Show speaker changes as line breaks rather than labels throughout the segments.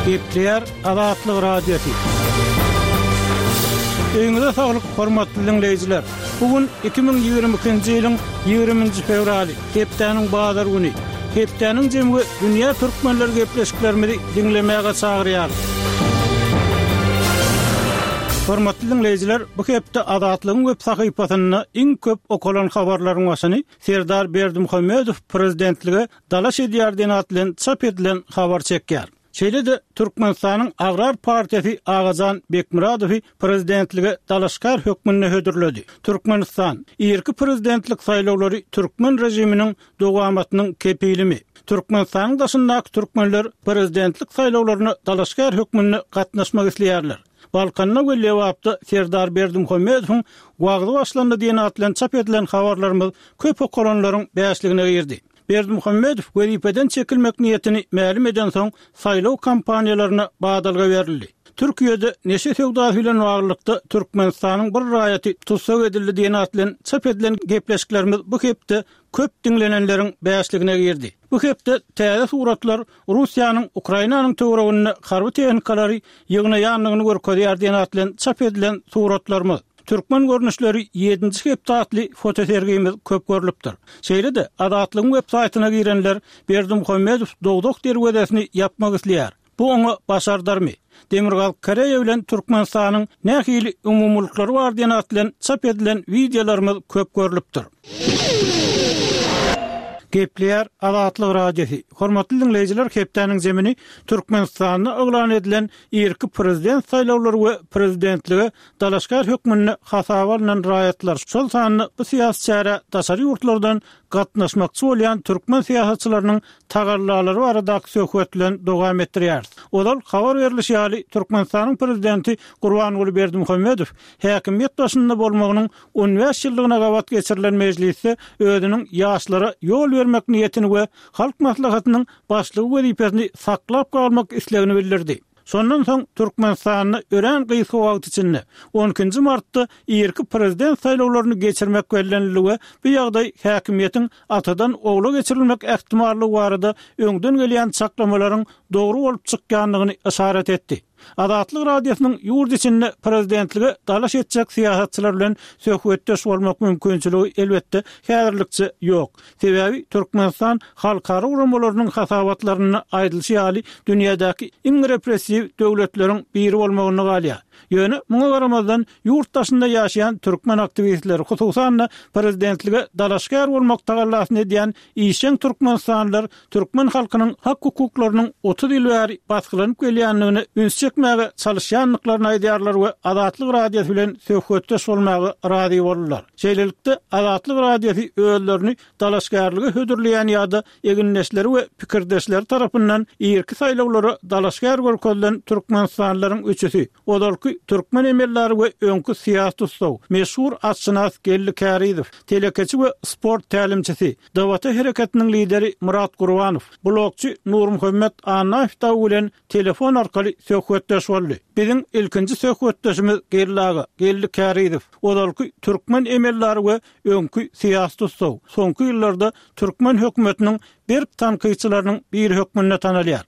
Gepleýär Azatlyk Radiosy. Öýüňize saglyk, hormatly diňleýjiler! Bu gün 2022-nji ýylyň 20-nji fewraly, hepdäniň bazar güni. Hepdäniň jemi we dünýä türkmenleri gepleşiklerimizi diňlemäge çagyrýarys. Hormatly diňleýjiler, bu hepde Azatlygyň web sahypasynda iň köp okalan habarlaryň başyny Serdar Berdimuhamedow prezidentlige dalaş edýär diýen at bilen çap edilen habar çekýär. Şeýle-de Türkmenistanyň Agrar partiýasy Agajan Bekmyradowy prezidentlige dalaşgär hökmünde hödürledi. Türkmenistan, Irki prezidentlik saýlawlary türkmen režiminiň dowamatynyň kepilimi? Türkmenistanyň daşyndaky türkmenler prezidentlik saýlawlaryna dalaşgär hökmünde gatnaşmak isleýärler. Balkanda we Lebapda Serdar Berdimuhamedowyň wagzy başlandy diýen at bilen çap edilen habarlarymyz köp okalanlaryň bäşligine girdi. Berdimuhamedow wezipeden çekilmek niýetini mälim edensoň, saýlaw kampaniýalaryna badalga berildi. Türkiýede neşe söwdasy bilen baglylykda Türkmenistanyň bir raýaty tussag edildi diýen at bilen çap edilen gepleşiklerimiz bu hepde köp diňlenenleriň bäşligine girdi. Bu hepde täze suratlar Russiýanyň Ukrainanyň töwereginde harby tehnikalary ýygnaýandygyny görkezýär diýen at bilen çap edilen suratlarymyz, Türkmen görnüşleri ýedinji hepde atly fotosergimiz köp görlüpdir. Şeýle-de, Azatlygyň web saýtyna girenler Berdimuhamedow dowzah derwezesini ýapmak isleýär. Bu oňa başardarmy? Demirgazyk Koreýa bilen Türkmenistanyň nähili umumylyklary bar diýen at bilen çap edilen wideolarymyz köp görlüpdir. Gepleýär Azatlyk Radiosy. Hormatly diňleýjiler hepdäniň zemini Türkmenistanda yglan edilen irki prezident saýlawlary we prezidentlige dalaşgär hökmünde hasaba alnan raýatlar, şol sanda bu syýasy çärä daşary ýurtlardan gatnaşmakçy bolýan türkmen syýasatçylarynyň tagallalary baradaky söhbet bilen dowam etdirýäris. Ozal habar berlişi ýaly, Türkmenistanyň Prezidenti Gurbanguly Berdimuhamedow häkimiýet başynda bolmagynyň 15 ýyllygyna gabat geçirilen mejlisde özüniň ýaşlara ýol bermek niýetini we Halk Maslahatynyň Başlygy wezipesini saklap galmak islegini bildirdi. Şondan soň Türkmenistanda örän gysga wagt içinde, on ikinji martda irki prezident saýlawlaryny geçirmek bellenildi we bu ýagdaý häkimiýetiň atadan ogla geçirilmek ähtimallygy barada öňden gelýän çaklamalaryň dogry bolup çykýandygyny yşarat etdi. Azatlyk Radiosynyň ýurt içinde prezidentlige dalaş etjek syýasatçylar bilen söhbetdeş bolmak mümkinçiligi, elbetde, häzirlikçe ýok. Sebäbi Türkmenistan halkara guramalarynyň hasabatlarynda aýdylyşy ýaly dünýädäki iň repressiw döwletleriň biri bolmagynda galýar. Ýöne muňa garamazdan ýurt daşynda ýaşaýan türkmen aktiwistleri, hususan-da prezidentlige dalaşgär bolmak tagallasyny edýän işjeň türkmenistanlylar türkmen halkynyň hak-hukuklarynyň 30 ýyl bäri basgylanyp gelýändigine üns çekmäge çalyşýandyklaryny aýdýarlar we Azatlyk Radiosy bilen söhbetdeş bolmaga razy boldular. Şeýlelikde, Azatlyk Radiosy özlerini dalaşgärlige hödürleýän ýa-da egindeşleri we pikirdeşleri tarapyndan irki saýlawlara dalaşgär görkezilen türkmenistanlylaryň üçüsi, ozalky türkmen emeldary we öňki syýasy tussag, meşhur atşynas Geldi Kärizow, telekeçi we sport tälimçisi, DWT hereketiniň lideri Myrat Gurbanow, blogçy Nurmuhammet Annaýew dagy bilen telefon arkaly söhbetdeş boldy. Biziň ilkinji söhbetdeşimiz Geldi aga, Geldi Kärizow, ozalky türkmen emeldary we öňki syýasy tussag, soňky ýyllarda türkmen hökümetiniň berk tankytçylarynyň biri hökmünde tanalýar.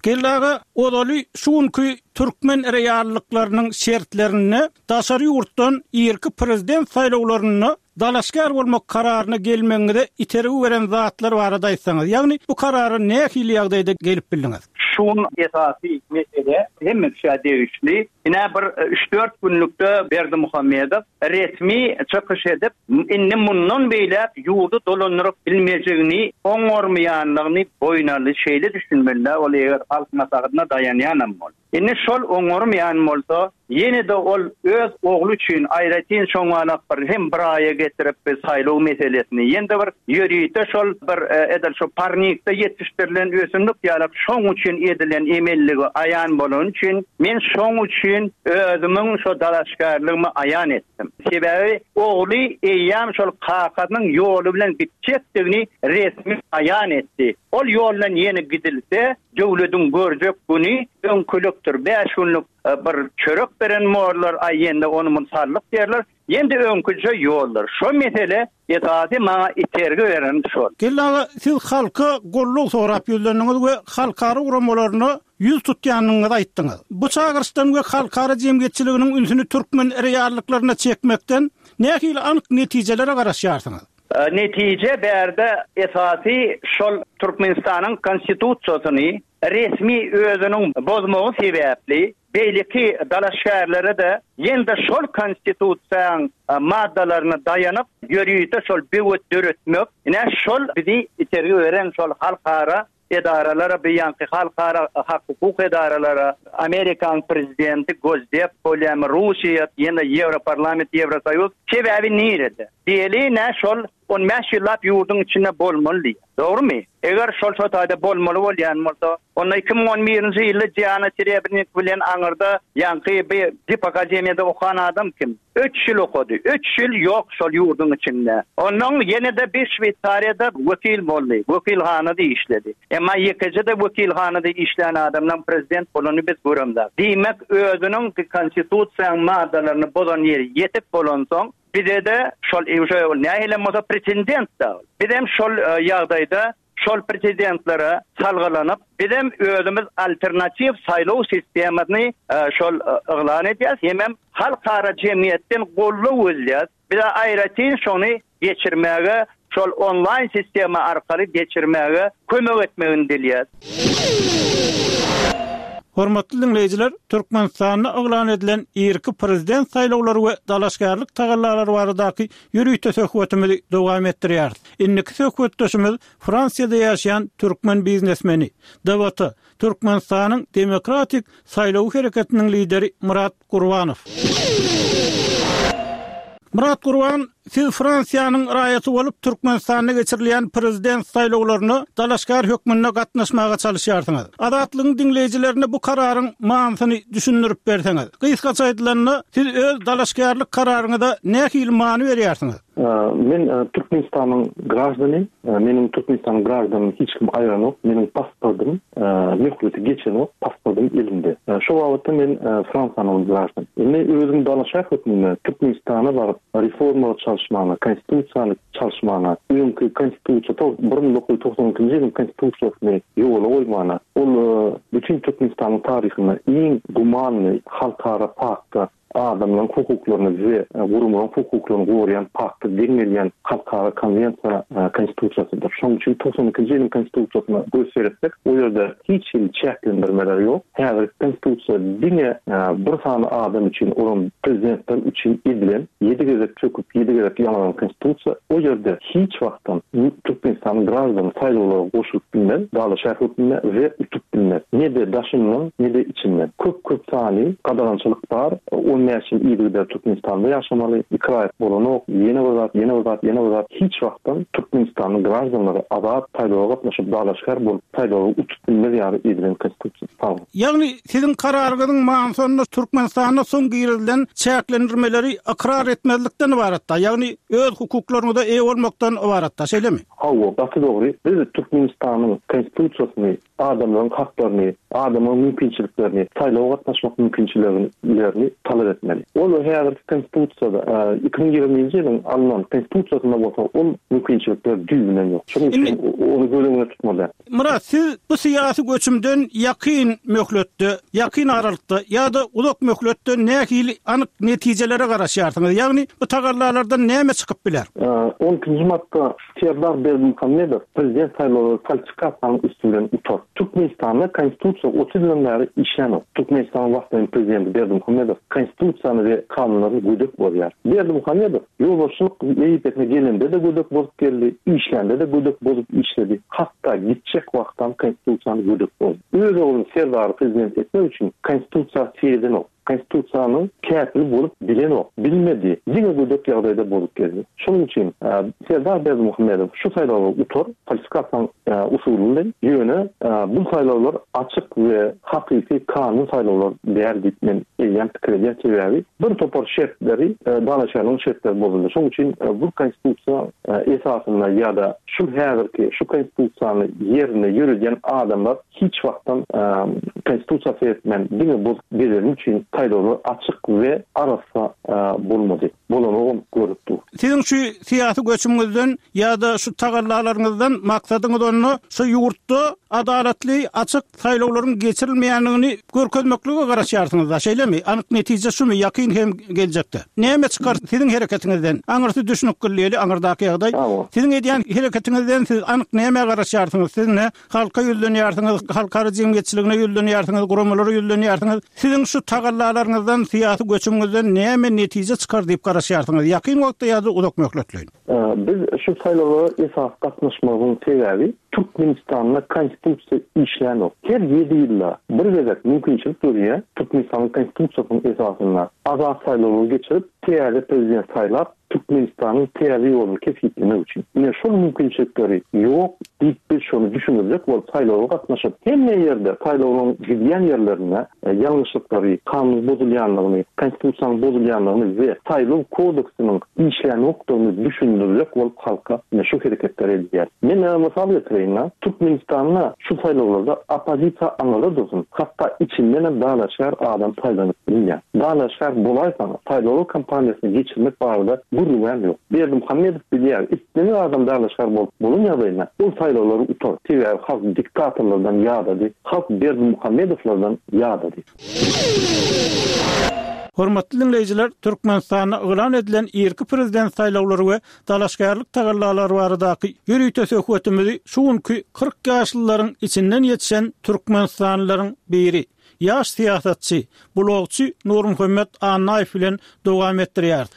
Geldi aga, ozaly şu günki türkmen reallyklarynyň şertlerinde daşary ýurtdan irki prezident saýlawlarynda dalaşgär bolmak kararyna gelmegiňize itergi beren zatlar barada aýtsaňyz, ýagny bu karara nähili ýagdaýda gelip bildiňiz?
Şu gün esasy mesele hemme kişä degişli. Ine bir üç-dört günlükde Berdimuhamedow resmi çykyş edip, indi mundan beýläk ýurdy dolandyryp bilmejegini, oňarmaýanlygyny boýun aldy. Şeýle düşünmeli-dä ol eger Halk Maslahatyna daýanýanam bolsa. Indi şol oňarmaýan bolsa, ýene-de ol öz ogly üçin aýratyn şoňalak bir hem bir aýa getirip bir saýlaw meselesini, ýene-de bir ýörite şol bir edil şu parnikde ýetişdirilen ösümlik ýalak şoň üçin edilen emelligi aýan bolany üçin men şoň üçin özümiň şo dalaşgärligimi aýan etdim. Sebäbi ogly eýýäm şol kakasynyň ýoly bilen gitjekdigini resmi aýan etdi. Ol ýoldan ýene gidilse, Döwlediň görjek güni öňkülikdir. Bäş günlük. bir çörek beren borlar, aý ýende ony-muny saldyk diýerler. Ýende öňküje ýoldur. Şo mesele esasy maňa itergi beren şol.
Geldi aga, siz halka goldaw sorap ýüzlendiňiz we halkara guramalaryna ýüz tutýandygyňyzy aýtdyňyz. Bu çagyryşdan we halkara jemgyýetçiliginiň ünsüni türkmen reallyklaryna çekmekden nähili anyk netijelere garaşýarsyňyz?
Netije bärde esasy şol Türkmenistanyň Konstitusiýasyny resmi özüniň bozmagy sebäpli beýleki dalaşgärlere-de ýene-de şol Konstitusiýaň maddalaryna daýanyp ýörite şol böwet döretmek, ine şol bizi itergi beren şol halkara edaralara, bu ýaňky halkara hak-hukuk edaralara, Amerikanyň prezidenti, Gosdep bolýamy, Russiýa, ýene Ýewroparlament, Ýewrosoýuz, sebäbi nirede? Diýeli, ine şol 15 ýyllap ýurduň içinde bolmaly diýýär. Dogrumy? Eger şol şo taýda bolmaly bolýan bolsa, onda 2011-nji ýylda Diana Serebrnik bilen aňyrda ýaňky bi dip akademiýada okan adam kim? Üç ýyl okady. Üç ýyl ýok şol ýurduň içinde. Onnoň ýene-de bir Şweýsariýada wekil boldy. Wekilhanada işledi. Emma ýekeje-de wekilhanada işlän adamlaň prezident bolanyny biz göremzok. Diýmek, özüniň konstitusiýaň maddalaryny bozan ýeri ýetik bolansoň, bize-de şol ol nähilem bolsa pretendent-dä ol. Bizem şol ýagdaýda Şol prezidentlere salgylanyp, bizem özümiz alternatiw saýlaw sistemasyny şol yglan edýäs, hemem halkara jemgyýetden goldaw gözleýäs. Bize aýratyn şony geçirmäge, şol onlaýn sistema arkaly geçirmäge kömek etmegini dileýäs.
Hormatly diňleýjiler, Türkmenistanda yglan edilen irki prezident saýlawlary we dalaşgärlik tagallalary baradaky ýörite söhbetimizi dowam etdirýäris. Indiki söhbetdeşimiz Fransiýada ýaşaýan türkmen biznesmeni, DWT, Türkmenistanyň Demokratik saýlaw hereketiniň lideri Myrat Gurbanow. Myrat Gurban, siz Fransiýanyň raýaty bolup, Türkmenistanda geçirilýän prezident saýlawlaryna dalaşgär hökmünde gatnaşmaga çalyşýarsyňyz. Azatlygyň diňleýjilerine bu kararyň manysyny düşündirip berseňiz. Gysgaça aýdylanda, siz öz dalaşgärlik kararyňyza nähili many berýärsiňiz?
Men Türkmenistanyň graždany. Meniň Türkmenistanyň graždanyny hiç kim aýranok. Meniň pasportym möhleti geçenok, pasportym elimde. Şo babatda men Fransiýanyň graždany. Indi özüm dalaşgär hökmünde Türkmenistana baryp reformalary çalyşmagyna, konstitusiýany çalyşmagyna, öňki konstitusiýa 1992-nji ýylyň konstitusiýasyny ýola goýmagyna, ol bütin Türkmenistanyň taryhynda iň gumanny halkara pakta adamlaryň hukuklaryny we guramalaryň hukuklaryny goraýan pakta deň gelýän halkara konwensiýa konstitusiýasydyr. Şonuň üçin 92-nji ýylyň konstitusiýasyna göz seretsek, o ýerde hiç hili çäklendirmeler ýok. Häzirki konstitusiýa diňe bir sany adam üçin, olam prezidentler üçin edilen, ýedi gezek çöküp, ýedi gezek ýaňalan konstitusiýa. O ýerde hiç wagtam Türkmenistanyň graždany saýlawlara goşulyp bilmez, dalaşgär hökmünde we utup bilmez. Ne-de daşyndan, ne-de içinden. Köp-köp sany gadagançylyk bar. 15 ýyl yzygider Türkmenistanda ýaşamaly, iki raýat bolanok, ýene bir zat, ýene bir zat, ýene bir zat. Hiç wagtam Türkmenistanyň graždanlary azat saýlawa gatnaşyp, dalaşgär bolup, saýlawy utup bilmez ýaly edilen konstitusiýa. Sag boluň.
Ýagny siziň kararyňyzyň manysy onda Türkmenistanda soň girizilen çäklendirmeleri ykrar etmezlikden ybaratda, ýagny öz hukuklaryňyza eýe bolmakdan ybaratda, şeýlemi?
Hawa, gaty dogry. Biz Türkmenistanyň Konstitusiýasyny, adamlaryň haklaryny, adamlaryň mümkinçiliklerini, saýlawa gatnaşmak mümkinçiliglerini talap etmeli. Ol häzirki Konstitusiýada, 2020-nji ýylyň alnan Konstitusiýasynda bolsa ol mümkinçilikler düýbünden ýok. Şonuň üçin ony göz öňünde tutmaly däl.
Myrat, siz bu syýasy göçümden ýakyn möhletde, ýakyn aralykda ýa-da uzak möhletde nähili anyk netijelere garaşýarsyňyz? Ýagny bu tagallalardan näme çykyp biler?
On ikinji martda Serdar Berdimuhamedow prezident saýlawlary falsifikasiýanyň üsti bilen utar. Türkmenistanda Konstitusiýa 30 ýyldan bäri işlänok. Türkmenistanyň wagtlaýyn prezidenti Berdimuhamedow Konstitusiýany we kanunlaryny gödek bozýar. Berdimuhamedow ýolbaşçylyk wezipesine gelende-de gödek bozup geldi, işlände-de gödek bozup işledi, hatda gitjek wagtam Konstitusiýany gödek bozdy. Öz ogluny Serdary prezident etmek üçin Konstitusiýa seredenok. Konstitusiýanyň kätili bolup bilenok, bilmedi, diňe gödek ýagdaýda bozup geldi. Şonuň üçin Serdar Berdimuhamedow şu saýlawlary utar, falsifikasiýanyň usuly bilen, ýöne bu saýlawlar açyk we hakyky kanun saýlawlar däl diýip men eýýäm pikir edýän, sebäbi bir topar şertleri, dalaşgärligiň şertleri bozuldy. Şonuň üçin bu konstitusiýa esasynda ýa-da şu häzirki şu konstitusiýany ýerinde ýöredýän adamlar hiç wagtdan konstitusiýa seretmän diňe bozup gezeni üçin saýlawlar açyk we arassa bolmady. Bolanogam görüp dur.
Siziň şu syýasy göçümiňizden ýa-da şu tagallalaryňyzdan maksadyňyz onda şu ýurtda adalatly, açyk saýlawlaryň geçirilmeýändigini görkezmeklige garaşýarsyňyzda, şeýlemi? Anyk netije şumy ýakyn hem geljekde? Näme çykar siziň hereketiňizden? Aňyrsy düşnükli diýeli, aňyrdaky ýagdaý. Siziň edýän hereketiňizden siz anyk nämä garaşýarsyňyz? Siz ne Halka ýüzlenýärsiňiz, halkara jemgyýetçiligine ýüzlenýärsiňiz, guramalara ýüzlenýärsiňiz. Siziň şu tagallalaryňyzdan, syýasy göçümiňizden näme netije çykar diýip garaşýarsyňyz, ýakyn wagtda ýa-da uzak möhletleýin?
Biz şu saýlawlara esasy gatnaşmagyň sebäbi Türkmenistanda Konstitusiýa işlänok. Her ýedi ýylda bir gezek mümkinçilik dörýär, Türkmenistanyň Konstitusiýasynyň esasynda azat saýlawlary geçirip, täze prezident saýlap, Türkmenistanyň täze ýoluny kesgitlemek üçin. Ine şol mümkinçilikleri ýok diýip biz şony düşündirjek bolup saýlawa gatnaşyp, hemme ýerde saýlawlaryň gidýän ýerlerinde ýalňyşlyklary, kanunyň bozulýanlygyny, konstitusiýanyň bozulýanlygyny we saýlaw kodeksiniň işlänokdygyny düşündirjek bolup halka ine şu hereketleri edýär. Men mysal getireýin, Türkmenistanda şu saýlawlarda oppozisiýa aňyrda dursun, hatda içindenem dalaşgär adam saýlanyp bilmeýär. Dalaşgär bolaýsaň, saýlaw kampaniýasyny geçirmek barada gürrüňem ýok. Berdimuhamedow bilýär, islendik adam dalaşgär bolup bolan ýagdaýynda, ol saýlawlary utar. Sebäbi halk diktatorlardan ýadady, halk Berdimuhamedowlardan ýadady.
Hormatly diňleýjiler, Türkmenistanda yglan edilen irki prezident saýlawlary we dalaşgärlik tagallalary baradaky ýörite söhbetimizi şu günki 40 ýaşlylaryň içinden ýetişen türkmenistanlylaryň biri, ýaş syýasatçy, blogçy Nurmuhammet Annaýew bilen dowam etdirýäris.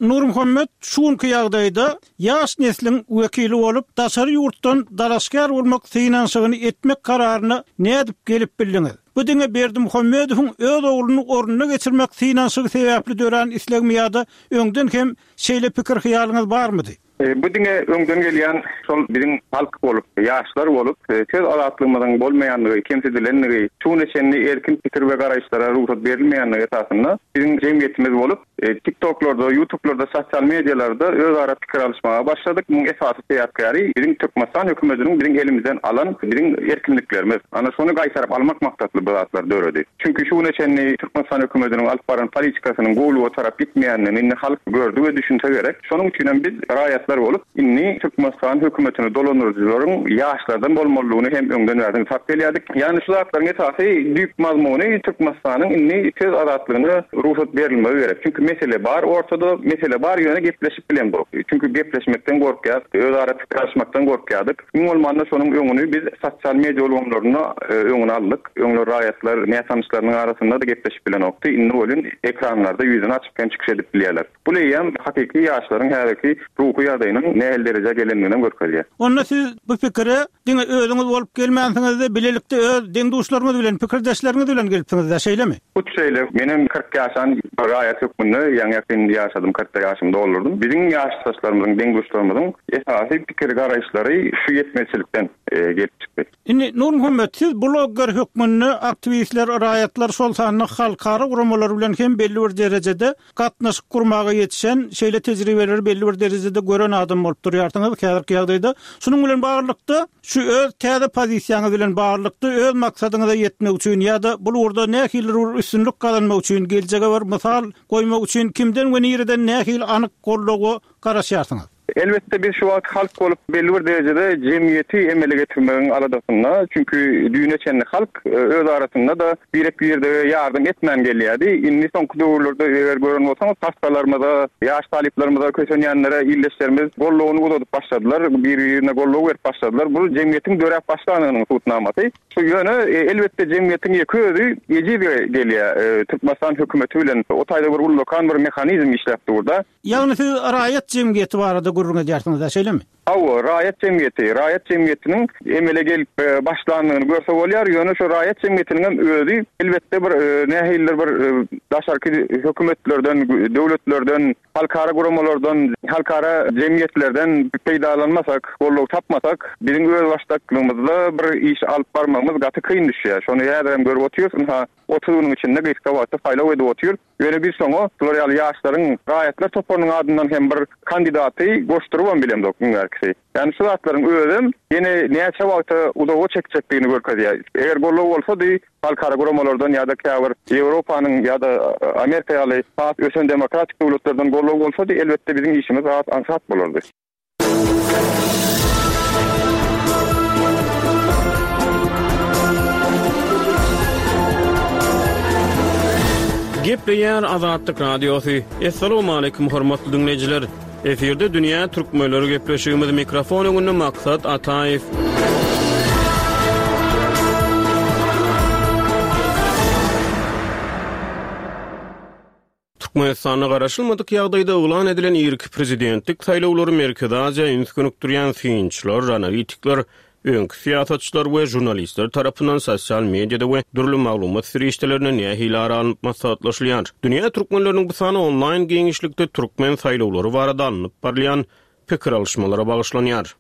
Nurmuhammet, şu günki ýagdaýda ýaş nesliň wekili bolup, daşary ýurtdan dalaşgär bolmak synanyşygyny etmek kararyna nädip gelip bildiňiz? Bu diňe Berdimuhamedowyň öz ogluny ornuna geçirmek synanyşygy sebäpli dörän islegmi ýa-da öňden hem şeýle pikir-hyýalyňyz barmydy?
Bu diňe öňden gelýän şol biziň halk bolup, ýaşlar bolup, söz azatlygymyzyň bolmaýandygy, kemsidilendigi, şu güne çenli erkin pikir we garaýyşlara rugsat berilmeýändigi esasynda biziň jemgyýetimiz bolup, TikToklarda, YouTubelarda, sosial medialarda özara pikir alyşmaga başladyk. Munuň esasy sebäpkäri biziň Türkmenistan hökümetiniň biziň elimizden alan biziň erkinliklerimiz. Ana şony gaýtaryp almak maksatly bu zatlar döredi. Çünki şu güne çenli Türkmenistan hökümetiniň alyp baran politikasynyň gowulyga tarap gitmeýändigini indi halk gördi we düşünse gerek. Şonuň üçinem biz raýatlar bolup indi Türkmenistan hökümetini dolandyryjylaryň ýaşlardan bolmalydygyny hem öňden bäri nygtap gelýärdik. Ýagny şu zatlaryň esasy düýp mazmuny Türkmenistanyň indi söz azatlygyna rugsat berilmegi gerek. Çünki mesele bar ortada, mesele bar ýöne gepleşip bilemzok. Çünki gepleşmekden gorkýas, özara pikir alyşmakdan gorkýardyk. Iň bolmanda şonuň öňüni biz sosial media ulgamlarynda öňüni aldyk. Öňler raýatlar nätanyşlarynyň arasynda-da gepleşip bilenokdy. Indi welin ekranlarda ýüzüni açyp hem çykyş edip bilýärler. Bu eýýäm hakyky ýaşlaryň häzirki ruhy ýagdaýynyň nähili derejä gelendiginem görkezýär.
Onda siz bu pikire diňe özüňiz bolup gelmänsiňiz-de, bilelikde öz deň-duşlaryňyz bilen, pikirdeşleriňiz bilen gelipsiňiz-dä, şeýlemi?
Hut şeýle. Menem 40 ýaşan bir raýat hökmünde ýaňy-ýakyn ýaşadym, kyrkda ýaşymy doldurdym. Biziň ýaşdaşlarymyzyň, deň-duşlarymyzyň esasy pikir-garaýyşlary şu ýetmezçilikden gelip çykdy.
Indi, Nurmuhammet, siz blogger hökmünde aktiwistler, raýatlar, şol sanda halkara guramalary bilen hem belli bir derejede gatnaşyk gurmaga ýetişen, şeýle tejribeleri belli bir derejede gören adam bolup durýarsyňyz häzirki ýagdaýda. Şunuň bilen baglylykda, şu öz täze pozisiýaňyz bilen baglylykda öz maksadyňyza ýetmek üçin ýa-da bul ugurda nähilidir bir üstünlik gazanmak üçin, geljege bir mysal goýmak üçin kimden we nireden nähili anyk goldawa garaşýarsyňyz?
Elbetde, biz şu wagt halk bolup belli bir derejede jemgyýeti emele getirmegiň aladasynda. Çünki düýne çenli halk öz arasynda-da birek-birdege ýardam etmän gelýärdi. Indi soňky döwürlerde eger gören bolsaňyz, hassalarymyza, ýaş talyplarymyza, kösenýänlere ildeşlerimiz goldawyny uzadyp başladylar, bir-birine goldaw berip başladylar. Bu jemgyýetiň döräp başlandygynyň subutnamasy. Şu ýöne, elbetde, jemgyýetiň ýeke özi ejiz gelýär. Türkmenistan hökümeti bilen o taýda bir ullakan bir mehanizm işläp dur-da.
Ýagny siz raýat jemgyýeti barada. gürrüň edýärsiňiz-dä, şeýlemi?
Hawa, raýat jemgyýeti, raýat jemgyýetiniň emele gelip başlandygyny görse bolýar, ýöne şu raýat jemgyýetiniň hem özi elbetde bir nähilidir bir daşarky hökümetlerden, döwletlerden, halkara guramalardan, halkara jemgyýetlerden peýdalanmasak, goldaw tapmasak, biziň özbaşdaklygymyzda bir iş alyp barmagymyz gaty kyn düşýär. Şony häzir hem görüp otyrys, ynha, 30 günüň içinde gysga wagtda saýlaw edip otyrys. Ýöne biz şoňa şular ýaly ýaşlaryň raýatlar toparynyň adyndan hem bir kandidaty goşdurybam bilemzok iň bärkisi. Ýagny şu zatlaryň özem ýene näçe wagta uzaga çekjekdigini görkezýär. Eger goldaw bolsady halkara guramalardan ýa-da käbir Ýewropanyň ýa-da Amerika ýaly has ösen demokratik döwletlerden goldaw bolsady elbetde biziň işimiz has aňsat bolardy.
Gepleýär Azatlyk Radiosy. Assalamualaikum hormatly diňleýjiler. Efirde dünýä türkmenleri gepleşigimiz mikrofon öňünde Maksat Ataýew. Türkmenistanda garaşylmadyk ýagdaýda yglan edilen irki prezidentlik saýlawlary Merkezi Aziýa üns gönükdirýän synçylar, analitikler, öňki syýasatçylar we žurnalistler tarapyndan sosial mediada we dürli maglumat serişdelerinde nähili ara alnyp maslahatlaşylýar? Dünýä türkmenleriniň bu sany onlaýn giňişlikde türkmen saýlawlary barada alnyp barylýan pikir alyşmalara bagyşlanýar.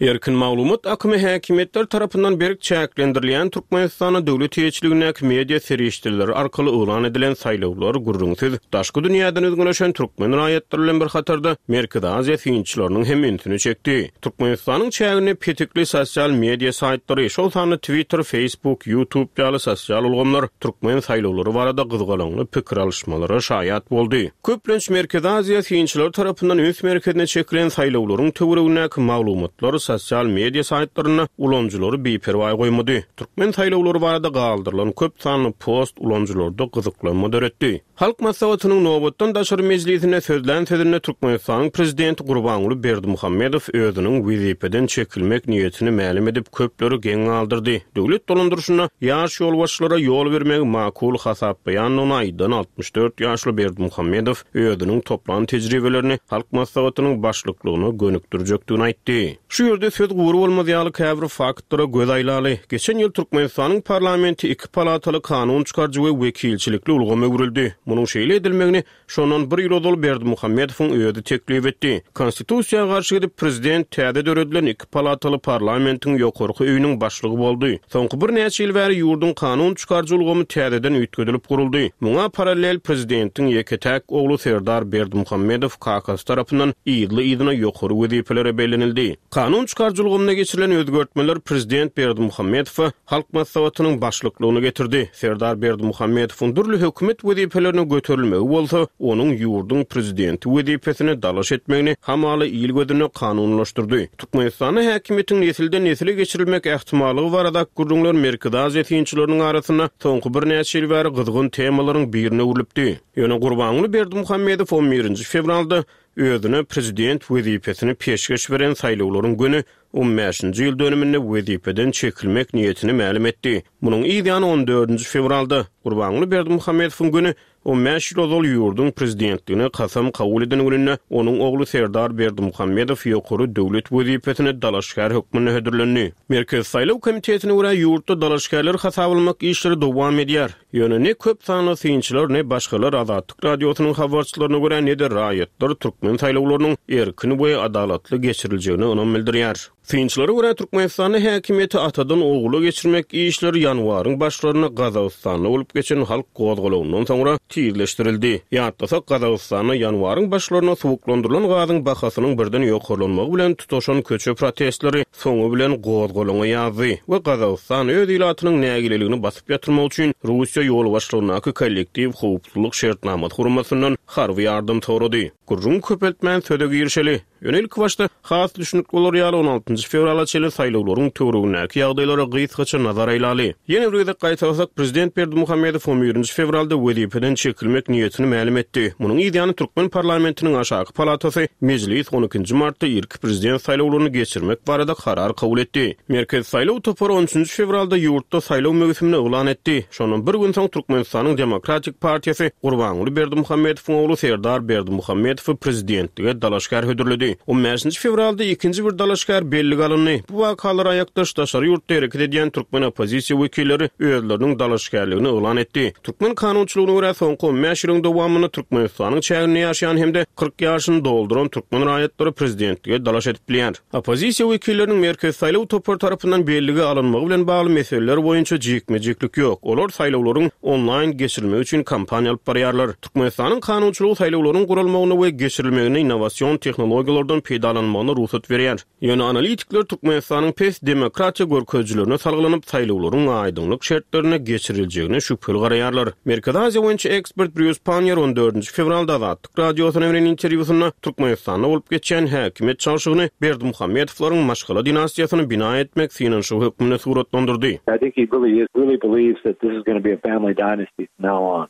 Erkin maglumat akymy häkimiýetler tarapyndan berk çäklendirilýän Türkmenistanda döwlet eýeçiligindäki media serişdeleri arkaly yglan edilen saýlawlar gürrüňsiz daşky dünýäden üzňeleşen türkmen raýatlary bilen bir hatarda Merkezi Aziýa synçylarynyň hem ünsüni çekdi. Türkmenistanyň çäginde petikli sosial media saýtlary, şol sanda Twitter, Facebook, YouTube ýaly sosial ulgamlar türkmen saýlawlary barada gyzgalaňly pikir alyşmalara şaýat boldy. Köplenç Merkezi Aziýa synçylary tarapyndan üns merkezine çekilen saýlawlaryň töweregindäki maglumatlar sosial media saýtlarynda ulanyjylary biperwaý goýmady. Türkmen saýlawlary barada galdyrylan köp sanly post ulanyjylarda gyzyklanma döretdi. Halk Maslahatynyň nobatdan daşary mejlisinde sözlän sözünde Türkmenistanyň Prezidenti Gurbanguly Berdimuhamedow özüniň wezipeden çekilmek niýetini mälim edip, köpleri geň galdyrdy. Döwlet dolandyryşynda ýaş ýolbaşçylara ýol bermegi makul hasaplaýandygyny aýdan 64 ýaşly Berdimuhamedow özüniň toplan tejribelerini Halk Maslahatynyň başlyklygyna gönükdirjekdigini aýtdy. Şu ýerde söz gury bolmaz ýaly käbir faktlara göz aýlaly. Geçen ýyl Türkmenistanyň parlamenti iki palataly kanun çykaryjy we wekilçilikli ulgama öwrüldi. Munuň şeýle edilmegini Şondan bir ýyl ozal Berdimuhamedowyň özi teklip etdi. Konstitusiýa garşy gidip, prezident täze döredilen iki palataly parlamentiň ýokarky öýüniň başlygy boldy. Soňky birnäçe ýyl bäri ýurduň kanun çykaryjy ulgamy täzeden üýtgedilip guruldy. Muňa parallel prezidentiň ýeke-täk ogly Serdar Berdimuhamedow kakasy tarapyndan yzly-yzyna ýokary wezipelere bellenildi. Kanun çykaryjy ulgamda geçirilen özgertmeler prezident Berdimuhamedowa Halk Maslahatynyň başlyklygyny getirdi. Serdar Berdimuhamedowyň dürli hökümet wezipelerine göterilmegi bolsa, onuň ýurduň prezidenti wezipesine dalaş etmegini hamala il gözünde kanunylaşdyrdy. Türkmenistanda häkimiýetiň nesilden-nesile geçirilmek ähtimallygy baradaky gürrüňler Merkezi Aziýa synçylarynyň arasynda soňky birnäçe ýyl bäri gyzgyn temalaryň birine öwrülipdi. Ýöne Gurbanguly Berdimuhamedow on birinji fewralda özüne prezident wezipesini peşgeş beren saýlawlaryň göni on bäşinji ýyl dönüminde wezipeden çekilmek niýetini mälim etdi. Munuň yz ýany on dördünji fewralda, Gurbanguly Berdimuhamedowyň güni, on bäş ýyl ozal ýurduň prezidentligine kasam kabul eden gününde onuň ogly Serdar Berdimuhamedow ýokary döwlet wezipesine dalaşgär hökmünde hödürlendi. Merkezi saýlaw komitetine görä, ýurtda dalaşgärleri hasaba almak işleri dowam edýär. Ýöne ne köp sanly synçylar, ne başgalar Azatlyk Radiosynyň habarçylaryna görä, ne-de raýatlar türkmen saýlawlarynyň erkin we adalatly geçiriljegine ynam bildirýär. Synçylara görä, Türkmenistanda häkimiýeti atadan ogula geçirmek işleri ýanwaryň başlarynda Gazagystanda bolup geçen halk gozgalaňyndan soňra tizleşdirildi. Ýatlasak, Gazagystanda ýanwaryň başlarynda suwuklandyrylan gazyň bahasynyň birden ýokarlanmagy bilen tutaşan köçe protestleri soňy bilen gozgalaňa ýazdy we Gazagystan öz ilatynyň nägileligini basyp ýatyrmak üçin Russiýa ýolbaşçylygyndaky Kollektiw howpsuzlyk şertnamasy guramasyndan harby ýardam sorady. Gürrüňi köpeltmän söze girişeli. Ýöne ilkibaşda has düşnükli bolar ýaly on altynjy fewrala çenli saýlawlaryň töweregindäki ýagdaýlara gysgaça nazar aýlaly. Ýene bir gezek gaýtalasak, prezident Berdimuhamedow on birinji fewralda wezipeden. çekilmek niýetini mälim etdi. Munuň yzýany türkmen parlamentiniň aşaky palatasy Mejlis on ikinji martda irki prezident saýlawlaryny geçirmek barada karar kabul etdi. Merkezi saýlaw topary on üçünji fewralda ýurtda saýlaw möwsümini yglan etdi. Şondan bir gün soň Türkmenistanyň Demokratik partiýasy Gurbanguly Berdimuhamedowyň ogly Serdar Berdimuhamedowy prezidentlige dalaşgär hödürledi. On bäşinji fewralda ikinji bir dalaşgär bellige alyndy. Bu wakalara aýakdaş daşary ýurtda hereket edýän türkmen oppozisiýa wekilleri özleriniň dalaşgärligini yglan etdi. Türkmen kanunçylygyna görä, soňky on bäş ýylyň dowamynda Türkmenistanyň çäginde ýaşaýan hem-de 40 ýaşyny dolduran türkmen raýatlary prezidentlige dalaş edip bilýär. Oppozisiýa wekilleriniň Merkezi saýlaw topary tarapyndan bellige alynmagy bilen bagly meseleler boýunça jikme-jiklik ýok. Olar saýlawlaryň onlaýn geçirilmegi üçin kampaniýa alyp barýarlar. Türkmenistanyň kanunçylygy saýlawlaryň guralmagyna we geçirilmeginde innowasion tehnologiýalardan peýdalanmagyna rugsat berýär. Ýöne analitikler Türkmenistanyň pes demokratiýa görkezijilerine salgylanyp, saýlawlaryň aýdyňlyk şertlerinde geçiriljegine şübheli garaýarlar. Merkezi Aziýa boýunça ekspert Brýus Panniýer on dördünji fewralda Azatlyk Radiosyna beren interwýusynda Türkmenistanda bolup geçýän häkimiýet çalşygyny Berdimuhamedowlaryň maşgala dinastiýasyny bina etmek synanyşygy hökmünde suratlandyrdy.
I think he really is really believes that this is gonna be a family dynasty from now on.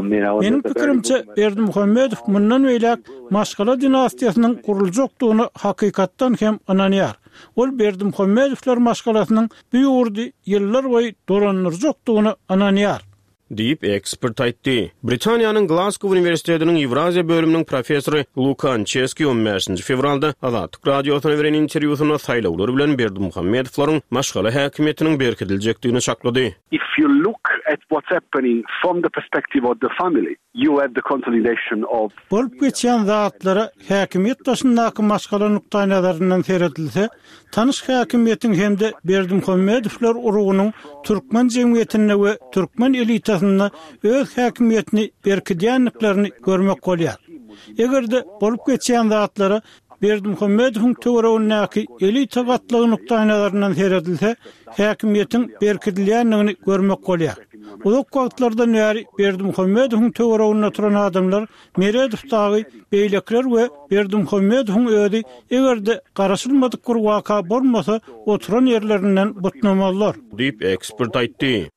Meniň pikirimçe, Berdimuhamedow mundan beýläk maşgala dinastiýasynyň guruljakdygyna hakykatdan hem ynanýar. Ol Berdimuhamedowlar maşgalasynyň bu ýurdy ýyllarboýy dolandyrjakdygyna ynanýar.
Diýip, ekspert aýtdy. Britaniýanyň Glasgow uniwersitetiniň Ýewraziýa bölüminiň professory Luka Ançeski on bäşinji fewralda Azatlyk Radiosyna beren interwýusynda saýlawlar bilen Berdimuhamedowlaryň maşgala häkimiýetiniň berkidiljekdigini çaklady.
If you look at what's happening from the perspective of the family, you have the consolidation of.
Bolup geçýän zatlara häkimiýet daşyndaky maşgala nukdaýnazaryndan seredilse, tanyş häkimiýetiň hem-de Berdimuhamedowlar urugynyň türkmen jemgyýetinde we türkmen elitasynda öz häkimiýetini berkidýändiklerini görmek bolýar. Eger-de bolup geçýän zatlara Berdimuhamedowyň töweregindäki elita gatlagy nukdaýnazaryndan seredilse, häkimiýetiň berkidilýändigini görmek bolýar. Uzak wagtlardan bäri Berdimuhamedowyň töwereginde oturan adamlar Meredow dagy, beýlekiler we Berdimuhamedowyň özi eger-de garaşylmadyk bir waka bolmasa, oturan ýerlerinden butnamazlar.
Diýip, ekspert aýtdy.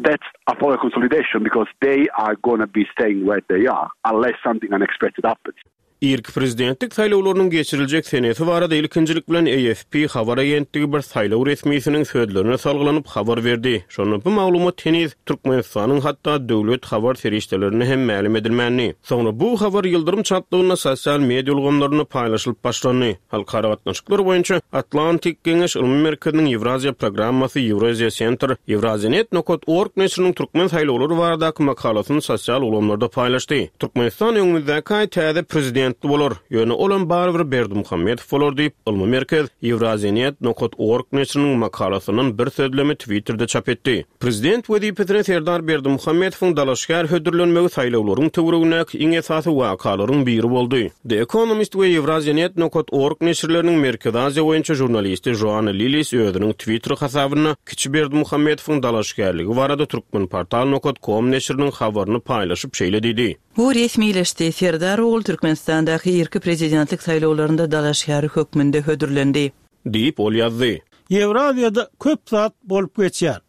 That's a power consolidation because they are gonna be staying where they are unless something unexpected happens. Irki prezidentlik saýlawlarynyň geçiriljek senesi barada ilkinjilik
bilen AFP habar agentligi bir saýlaw resmisiniň sözlerine salgylanyp habar berdi. Şonda bu maglumat heniz Türkmenistanyň hatda döwlet habar serişdelerinde hem mälim edilmändi. Soňra bu habar ýyldyrym çaltlygynda sosial media ulgamlarynda paýlaşylyp başlandy. Halkara gatnaşyklar boýunça Atlantik Geňeş ylmy merkeziniň Ýewraziýa programmasy Eurasia Center Eurasianet nokat org neşiriniň türkmen saýlawlary baradaky makalasyny sosial ulgamlarda paýlaşdy. Türkmenistan öňümizdäki aý täze prezidentli bolar, ýöne olam barybir Berdimuhamedow bolar diýip, ylmy merkez Eurasianet nokat org neşiriniň makalasyndan bir sözlemi Twitterde çap etdi. Prezident wezipesine Serdar Berdimuhamedowyň dalaşgär hödürlenmegi saýlawlaryň töweregindäki iň esasy wakalaryň biri boldy. The Economist we Eurasianet nokat org neşirleriniň Merkezi Aziýa boýunça žurnalisti Joanna Lillis özüniň Twitter hasabynda kiçi Berdimuhamedowyň dalaşgärligi barada Turkmenportal nokat kom neşiriniň habaryny paýlaşyp şeýle diýdi.
Bu resmileşdi, Serdar ogul Türkmenistandaky irki prezidentlik saýlawlarynda dalaşgär hökmünde hödürlendi.
Diýip, ol ýazdy.
Ýewraziýada köp zat bolup geçýär.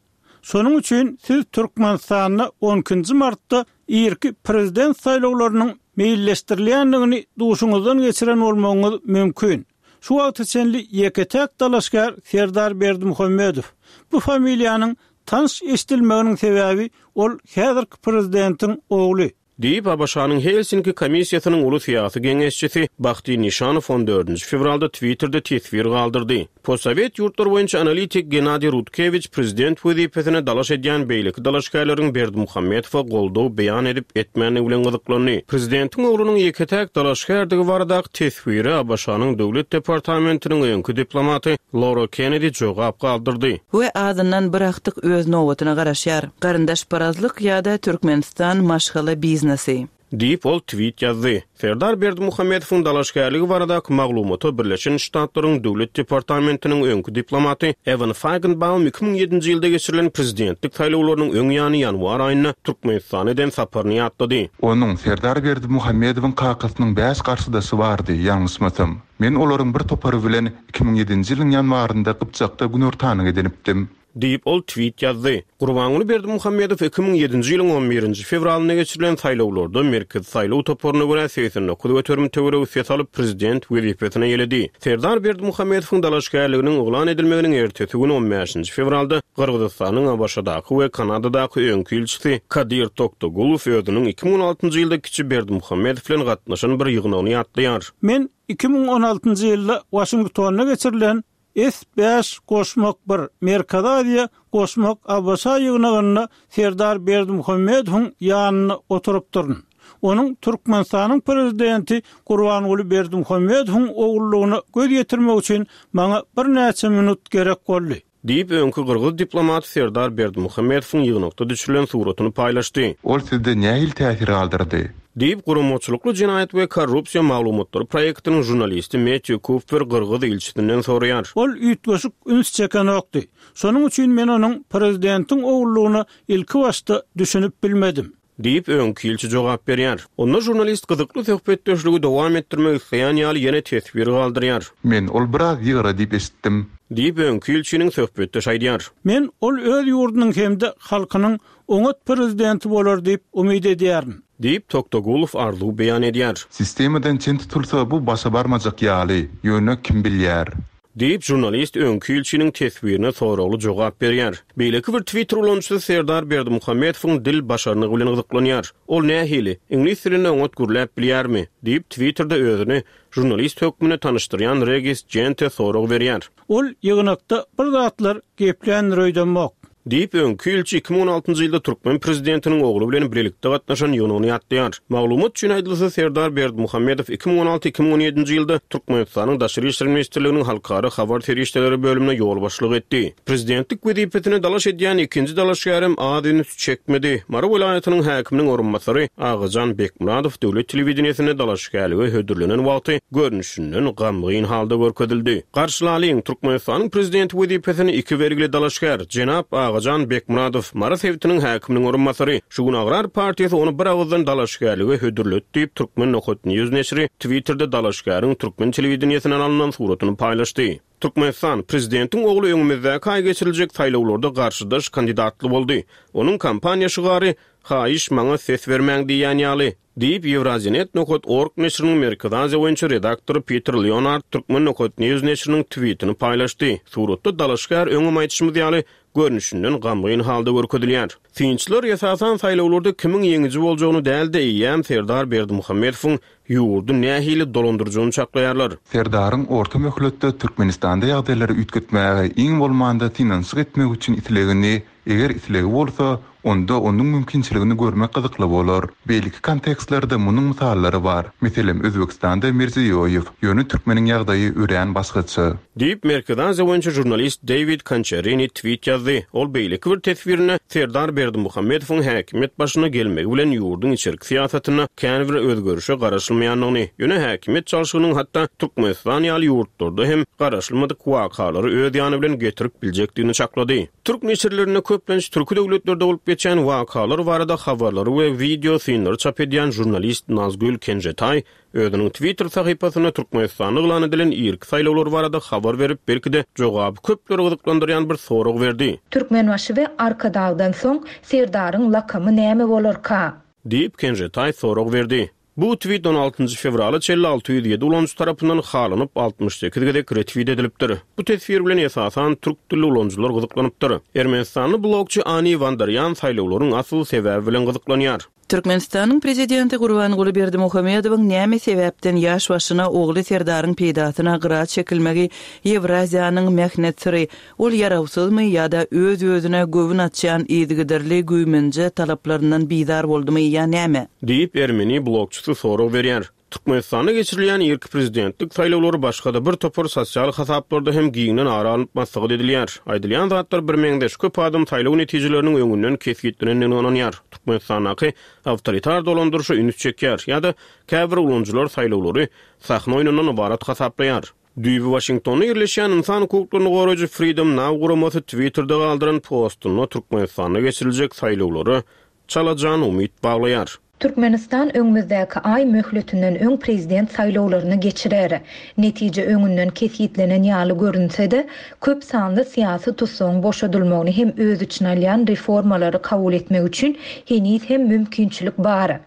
Şonuň üçin siz Türkmenistanda on ikinji martda irki prezident saýlawlarynyň meýilleşdirilýändigini duşuňyzdan geçiren bolmagyňyz mümkin. Şu wagta çenli ýeke-täk dalaşgär Serdar Berdimuhamedow. Bu familiýanyň tanyş eşidilmeginiň sebäbi ol häzirki prezidentiň ogly.
Diýip, ABŞ-nyň Helsinki komissiýasynyň uly syýasy geňeşçisi Bahti Nişanow on dördünji fewralda Twitterde teswir galdyrdy. Postsowet ýurtlary boýunça analitik Gennadiý Rutkewiç prezident wezipesine dalaş edýän beýleki dalaşgärleriň Berdimuhamedowa goldaw beýan edip-etmändigi bilen gyzyklandy. Prezidentiň oglunyň ýeke-täk dalaşgärdigi baradaky teswire ABŞ-nyň Döwlet departamentiniň öňki diplomaty Laura Kennedi jogap galdyrdy.
We azyndan bir agtyk öz nobatyna garaşýar. Garyndaşparazlyk ýa-da Türkmenistan maşgala biznesi.
Diýip, ol twit ýazdy. Serdar Berdimuhamedowyň dalaşgärligi baradaky maglumata Birleşen Ştatlaryň Döwlet departamentiniň öňki diplomaty Ewan Faýgenbaum 2007-nji ýylda geçirilen prezidentlik saýlawlarynyň öň ýany ýanwar aýynda Türkmenistana eden saparyny ýatlady.
Onuň, Serdar Berdimuhamedowyň kakasynyň bäş garşydaşy bardy, ýalňyşmasam. Men olaryň bir topary bilen 2007-nji ýylyň ýanwarynda Gypjakda günortanyk edinipdim.
Diýip, ol tweet ýazdy. Gurbanguly Berdimuhamedow 2007-nji ýylyň on birinji fewralynda geçirilen saýlawlarda Merkezi saýlaw toparyna görä 89% töweregi ses alyp, prezident wezipesine eýeledi. Serdar Berdimuhamedowyň dalaşgärliginiň yglan edilmeginiň ertesi güni on bäşinji fewralda Gyrgyzystanyň ABŞ-daky we Kanadadaky öňki ilçisi Kadyr Toktogulow özüniň 2016-njy ýylda kiçi Berdimuhamedow bilen gatnaşan bir ýygnagyny ýatlaýar.
Men 2016-njy ýylda Waşingtonda geçirilen S bäş goşmak bir Merkezi Aziýa goşmak ABŞ ýygnagynda Serdar Berdimuhamedowyň ýanynda oturypdyryn. Onuň Türkmenistanyň Prezidenti Gurbanguly Berdimuhamedowyň ogullygyna göz ýetirmek üçin maňa birnäçe minut gerek boldy.
Diýip, öňki gyrgyz diplomaty Serdar Berdimuhamedowyň ýygnakda düşürilen suratyny paýlaşdy.
Ol sizde nähili täsir galdyrdy?
Diýip, Guramaçylykly jenaýat we korrupsiýa maglumatlary proýektiniň žurnalisti Mettýu Kupfer gyrgyz ilçisinden soraýar.
Ol üýtgeşik üns çekenokdy. Şonuň üçin men onuň prezidentiň ogullygyna ilkibaşda düşünip bilmedim.
Diýip, öňki ilçi jogap berýär. Onda žurnalist gyzykly söhbetdeşligi dowam etdirmek isleýän ýaly ýene teswir galdyrýar.
Men ol biraz ýygra diýip eşitdim.
Diýip, öňki ilçiniň söhbetdeşi aýdýar.
Men ol öz ýurdunyň hem-de halkynyň oňat prezidenti bolar diýip umyt edýärin.
Diýip, Toktogulow arzuw beýan edýär.
Sistemadan çen tutulsa bu başa barmajak ýaly, ýöne kim bilýär.
Diýip, žurnalist öňki ilçiniň teswirine soragly jogap berýär. Beýleki bir Twitter ulanyjysy Serdar Berdimuhamedowyň dil başarnygy bilen gyzyklanýar. Ol nähili? Iňlis dilinde oňat gürläp bilýärmi? diýip, Twitterde özüni žurnalist hökmünde tanyşdyrýan Regis Jente sorag berýär.
Ol ýygnakda bir zatlar gepländir öýdemok.
Diýip, öňki ilçi 2016-njy ýylda türkmen prezidentiniň ogly bilen bilelikde gatnaşan ýygnagyny ýatlaýar. Maglumat üçin aýdylsa, Serdar Berdimuhamedow 2016, 2017-nji ýylda Türkmenistanyň Daşary işler ministrliginiň Halkara habar serişdeleri bölümine ýolbaşçylyk etdi. Prezidentlik wezipesine dalaş edýän ikinji dalaşgärem az üns çekmedi. Mary welaýatynyň häkiminiň orunbasary Agajan Bekmyradow döwlet telewideniýesinde dalaşgärlige hödürlenen wagty görnüşinden gamgyn halda görkezildi. Garşylalyň, Türkmenistanyň Prezidenti wezipesine iki belgili dalaşgär, jenap Agajan Bekmyradow, Mary sebitiniň häkiminiň orunbasary. Şu gün Agrar partiýasy ony bir agyzdan dalaşgärlige hödürledi diýip, Turkmen nokat news neşiri Twitterde dalaşgäriň türkmen telewideniýesinden alnan suratyny paýlaşdy. Türkmenistan, Prezidentiň ogly öňümizdäki aý geçiriljek saýlawlarda garşydaş kandidatly boldy. Onuň kampaniýa şygary, Haýyş, maňa ses bermäň diýýän ýaly. Diýip, Eurasianet nokat org neşiriniň Merkezi Aziýa boýunça redaktory Piter Leonard Turkmen nokat news neşiriniň twitini paýlaşdy. Suratda dalaşgär öňem aýdyşymyz ýaly, görnüşinden gamgyn halda görkezilýär. Synçylar, esasan, saýlawlarda kimiň ýeňiji boljagyny däl-de, eýýäm Serdar Berdimuhamedowyň ýurdy nähili dolandyrjagyny çaklaýarlar.
Serdaryň orta möhletde Türkmenistanda ýagdaýlary üýtgetmäge iň bolmanda synanyşyk etmek üçin islegini, eger islegi bolsa, onda onuň mümkinçiligini görmek gyzykly bolar. Beýleki kontekstlerde munuň mysallary bar. Meselem, Özbegistanda Mirziýoýew. Ýöne türkmeniň ýagdaýy örän başgaça.
Diýip, Merkezi Aziýa boýunça žurnalist Deýwid Konçerini tweet ýazdy. Ol beýleki bir teswirinde Serdar Berdimuhamedowyň häkimiýet başyna gelmegi bilen ýurduň içerki syýasatynda kän bir özgerişe garaşylmaýandygyny, ýöne häkimiýet çalşygynyň hatda Türkmenistan ýaly ýurtlarda hem garaşylmadyk wakalary öz ýany bilen getirip biljekdigini çaklady. Türk neşirlerinde köplenç türki döwletlerde bolup geçýän wakalar barada habarlary we wideo synlary çap edýän žurnalist Nazgül Kenžetaý Özüniň Twitter sahypasynda Türkmenistanda yglan edilen irki saýlawlar barada habar berip, belki-de, jogaby köpleri gyzyklandyrýan bir sorag berdi.
Türkmenbaşy we Arkadagdan soň Serdaryň lakamy näme bolarka?
Diýip, Kenžetaý sorag berdi. Bu twit on altynjy fewrala çenli 607 ulanyjy tarapyndan halanyp, 68 gezek retwit edilipdir. Bu teswir bilen esasan türk dilli ulanyjylar gyzyklanypdyr. Ermenistanly blogçy Ani Wandarýan saýlawlaryň asyl sebäbi bilen gyzyklanýar.
Türkmenistanyň Prezidenti Gurbanguly Berdimuhamedowyň näme sebäpden ýaş başyna ogly Serdaryň peýdasyna gyra çekilmegi Ýewraziýanyň mähnet syry, ol ýarawsyzmy ýa-da öz-özüne göwün açýan yzygiderli güýmenje talaplaryndan bizar boldumy ýa näme?
Diýip, ermeni blogçysy sorag berýär. Türkmenistanda geçirilýän irki prezidentlik saýlawlary başga-da bir topar sosial hasaplarda hem giňden ara alnyp maslahat edilýär. Aýdylýan zatlar birmeňzeş, köp adam saýlaw netijeleriniň öňünden kesgitlenendigine ynanýar, Türkmenistandaky awtoritar dolandyryşa üns çekýär ýa-da käbir ulanyjylar saýlawlary sahna oýnundan ybarat hasaplaýar. Düýbi Waşingtonda ýerleşýän ynsan hukuklaryny goraýjy Freedom Now guramasy Twitterde galdyran postunda Türkmenistanda geçiriljek saýlawlara çalajan umyt baglaýar.
Türkmenistan öňümizdäki aý möhletinden öň prezident saýlawlaryny geçirer. Netije öňünden kesgitlenen ýaly görünse-de, köp sanly syýasy tussagyň boşadylmagyny hem öz içine alýan reformalary kabul etmek üçin heniz hem mümkinçilik bar.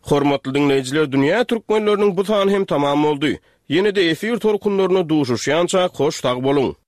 Hormatly diňleýjiler dünýä türkmenleriniň bu sany hem tamam boldy. Ýene-de efir tolkunlarynda duşuşýançak hoş sag boluň.